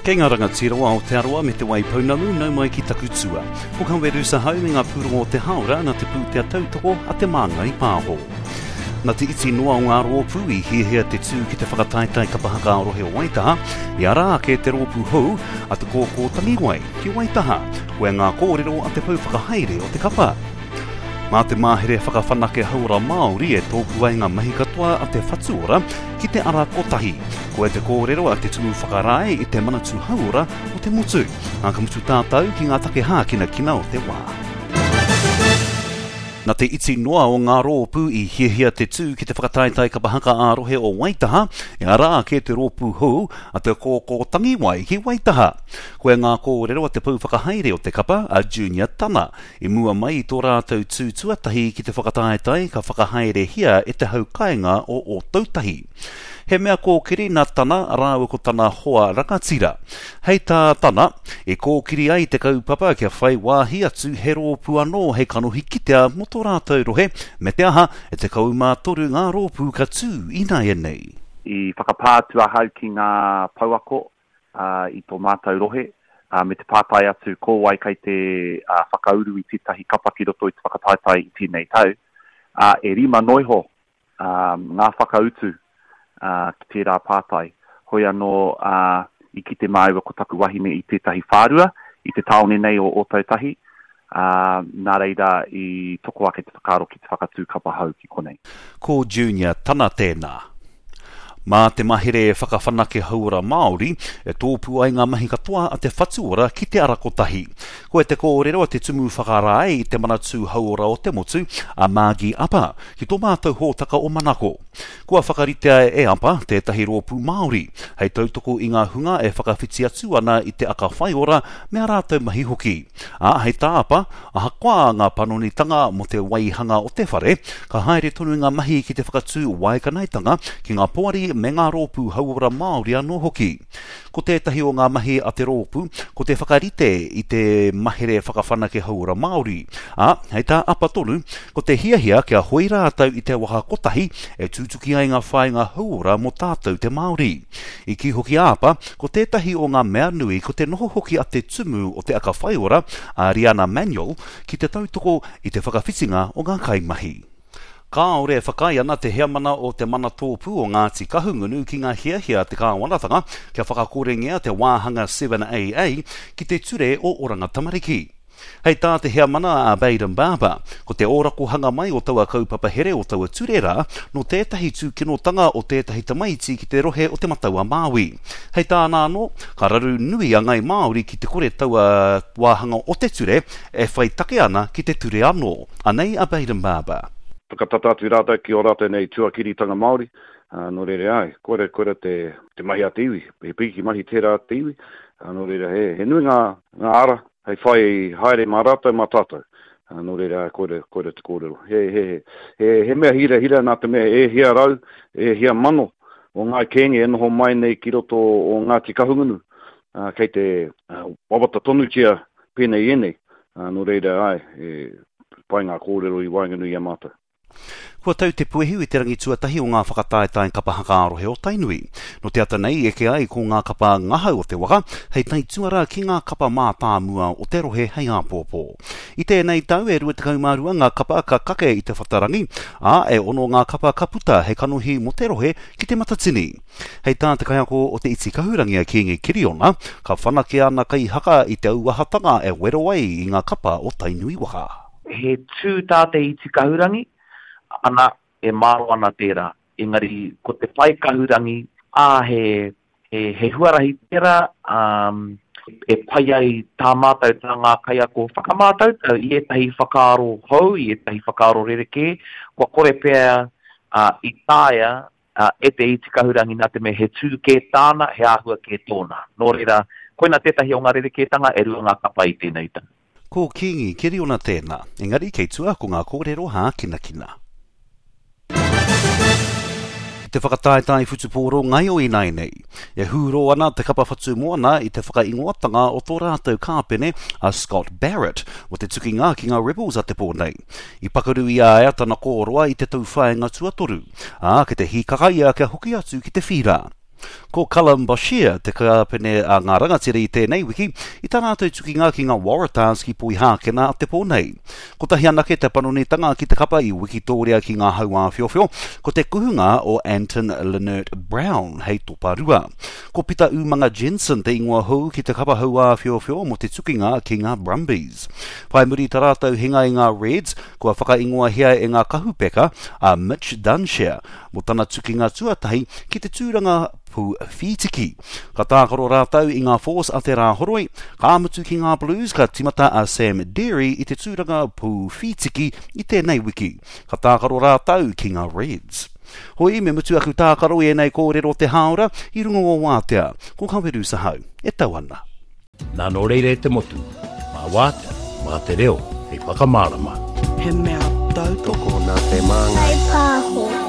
Kei ngā rangatira o Aotearoa me Te Waipounamu, nau mai ki taku tua. Ko Kaweru Sahau me ngā pūrongo o te hāora nā te pūtea tautoko a Te Māngai Pāho. Nā te iti noa o ngā rōpū i hiahia te tū ki te whakataetae kapa haka ā-rohe o Waitaha, i ara ake te rōpū hou a Te Kōkō Tangiwai ki Waitaha. Koia ngā kōrero a te pou whakahaere o te kapa. Mā te Mahere Whakawhanake Hauora Māori e tōpū ai ngā mahi katoa a Te Whatu Ora ki te ara kotahi. Koia te kōrero a te Tumu Whakarae i te Manatū Hauora o te motu. Ā, ka mutu tātou ki ngā take hākinakina o te wā. Nā te iti noa o ngā rōpū i hiahia te tū ki te whakataetae kapa haka ā-rohe o Waitaha, e ara ake te rōpū hou a Te Kōkō Tangiwai ki Waitaha. Koia ngā kōrero a te pou whakahaere o te kapa, a Junior Tana, I mua mai i tō rātou tū tuatahi ki te whakataetae ka whakahaerehia e te hau kāinga o Ōtautahi. He mea kōkiri nā Tana rāua ko tana hoa rangatira. Hei tā Tana, i kōkiri ai te kaupapa kia whai wāhi atu he rōpū anō hei kanohi kitea mō tō rātou rohe, me te aha, e 13 ngā rōpū ka tū ināianei. I whakapā atu ahau ki ngā pouako i tō mātou rohe, me te pātai atu ko wai kei te whakauru i tētahi kapa ki roto i te whakataetae i tēnei tau, ā, e rima noa iho ngā whakautu ki tērā pātai. Hoi anō, i kite māua ko taku wahine i tētahi whārua i te tāone nei o Ōtautahi, ā, nā reira i toko ake te whakaaro ki te whakatū kapa hou ki konei. Ko Junior Tana tēnā. Mā te mahere whakawhanake hauora Māori e tōpū ai ngā mahi katoa a te Whatu Ora ki te ara kotahi. Koia te kōrero a te Tumu Whakarae i te Manatū Hauora o te Motu, a Margie Apa, ki tō mātou hōtaka o Manako. Kua whakaritea e Apa tētahi rōpū Māori hei tautoko i ngā hunga e whakawhiti atu ana i te aka whaiora me ā rātou mahi hoki. Ā, hei tā Apa, Ahakoa ngā panonitanga mō te waihanga o te whare, ka haere tonu ngā mahi ki te whakatū waekanaetanga ki ngā poari me ngā rōpū hauora Māori anō hoki. Ko tētahi o ngā mahi a te rōpū, ko te whakarite i te mahere whakawhanake hauora Māori. Ā, hei tā Apa tonu, ko te hiahia kia hoi rātou i te waka kotahi e tutuki ai ngā whāinga hauora mō tātou te Māori. I kī hoki a Apa, ko tētahi o ngā mea nui ko te noho hoki a te tumu o te aka whaiora, a Riana Manuel, ki te tautoko i te whakawhitinga o ngā kaimahi. Kāore e whakaae ana te heamana o Te Manatōpū o Ngāti Kahungunu ki ngā hiahia a te kāwanatanga kia whakakorengia te wāhanga 7AA ki te Ture o Oranga Tamariki. Hei tā te heamana a Bayden Barber, ko te ōrakohanga mai o taua kaupapa here o taua ture rā, nō tētahi tūkinotanga o tētahi tamaiti ki te rohe o Te Matau-a-Māui. Hei tāna anō, ka raru nui a Ngai Māori ki te kore taua wāhanga o te ture e whai take ana ki te ture anō. Anei a Bayden Barber. Whakatata atu rātou ki ō rātou nei tuakiritanga Māori, ā, nō reira, āe, koira, koira te, te mahi a te iwi, he piki mahi tērā a te iwi, ā, nō reira, he, he nui ngā, ngā ara hei whai haere mā rātou, mā tātou. Nō reira, koira, koira te kōrero. He, he, he, he mea hirahira nā te mea e hia rau, e hia mano o Ngāi Kēngi e noho mai nei ki roto o Ngāti Kahungunu, ā, kei te wawata tonutia pēnei i ēnei. Nō reira, āe, e pai ngā kōrero i waenganui i a mātou. Kua tau te puehu i te rangi tuatahi o ngā whakataetae kapa haka ā-rohe o Tainui. Nō te ata nei i eke ai ko ngā kapa ngahau o te waka hei taituara ki ngā kapa mātāmua o te rohe hei āpōpō. I tēnei tau e 22 ngā kapa ka kake i te whatarangi, ā, e ono ngā kapa ka puta hei kanohi mō te rohe ki Te Matatini. Hei tā te kaiako o Te Iti Kahurangi a Kīngi Kiriona, ka whanake ana kaihaka i te auahatanga e wero ai i ngā kapa o Tainui waka. He tū tā te iti kahurangi, ana, e māro ana tērā. Engari, ko te pae kahurangi, ā, he, he, he huarahi tērā, ā, e pai ai tā mātou, tā ngā kaiako whakamātautau i ētahi whakaaro hou, i ētahi whakaaro rerekē, kua kore pea, ā, i taea, ā, e te iti kahurangi nā te mea he tū kē tāna, he āhua kē tōna. Nō reira, koina tētahi o ngā rerekētanga e rua ngā kapa i tēnei tau. Ko Kīngi Keriona tēnā, engari kei tua ko ngā kōrero hākinakina. Te whakataetae whutupōro ngaio ināianei. E hūrō ana te kapa Whatumoana i te whakaingoatanga o tō rātou kāpene a Scott Barrett mō te tukinga ki ngā Rebels a te pō nei. I pakaru i a ia tana kōroa i te tauwhāinga tuatoru, ā, kei te hīkaka ia kia hoki atu ki te whīra. Ko Callum Boshier te kāpene a ngā rangatira i tēnei wiki i tā rātou tukinga ki ngā Waratahs ki Poihākena a te pō nei. Kotahi anake te panonitanga ki te kapa i wikitōria ki ngā hauāwhiowhio, ko te kuhunga o Anton Lienert-Brown hei toparua. Ko Pita Umanga Jensen te ingoa hou ki te kapa hauāwhiowhio mō te tukinga ki ngā Brumbies. Whai muri i tā rātou hinga i ngā Reds, kua whakaingoahia e ngā kahupeka a Mitch Dunshea mō tana tukinga tuatahi ki te tūranga pū whītiki. Ka tākaro rātou i ngā Force a te Rāhoroi, ka mutu ki ngā Blues ka timata a Sam Deary i te tūranga pū whītiki i tēnei wiki. Ka tākaro rātou ki ngā Reds. Hoi, me mutu aku tākaro i ēnei kōrero te hāora i runga o Wātea. Ko Kaweru Sahau e tau ana. Nā nō reira e te motu, mā Wātea, mā te reo hei whakamārama. He mea tautoko. Tokona te māngai. Whai pāho.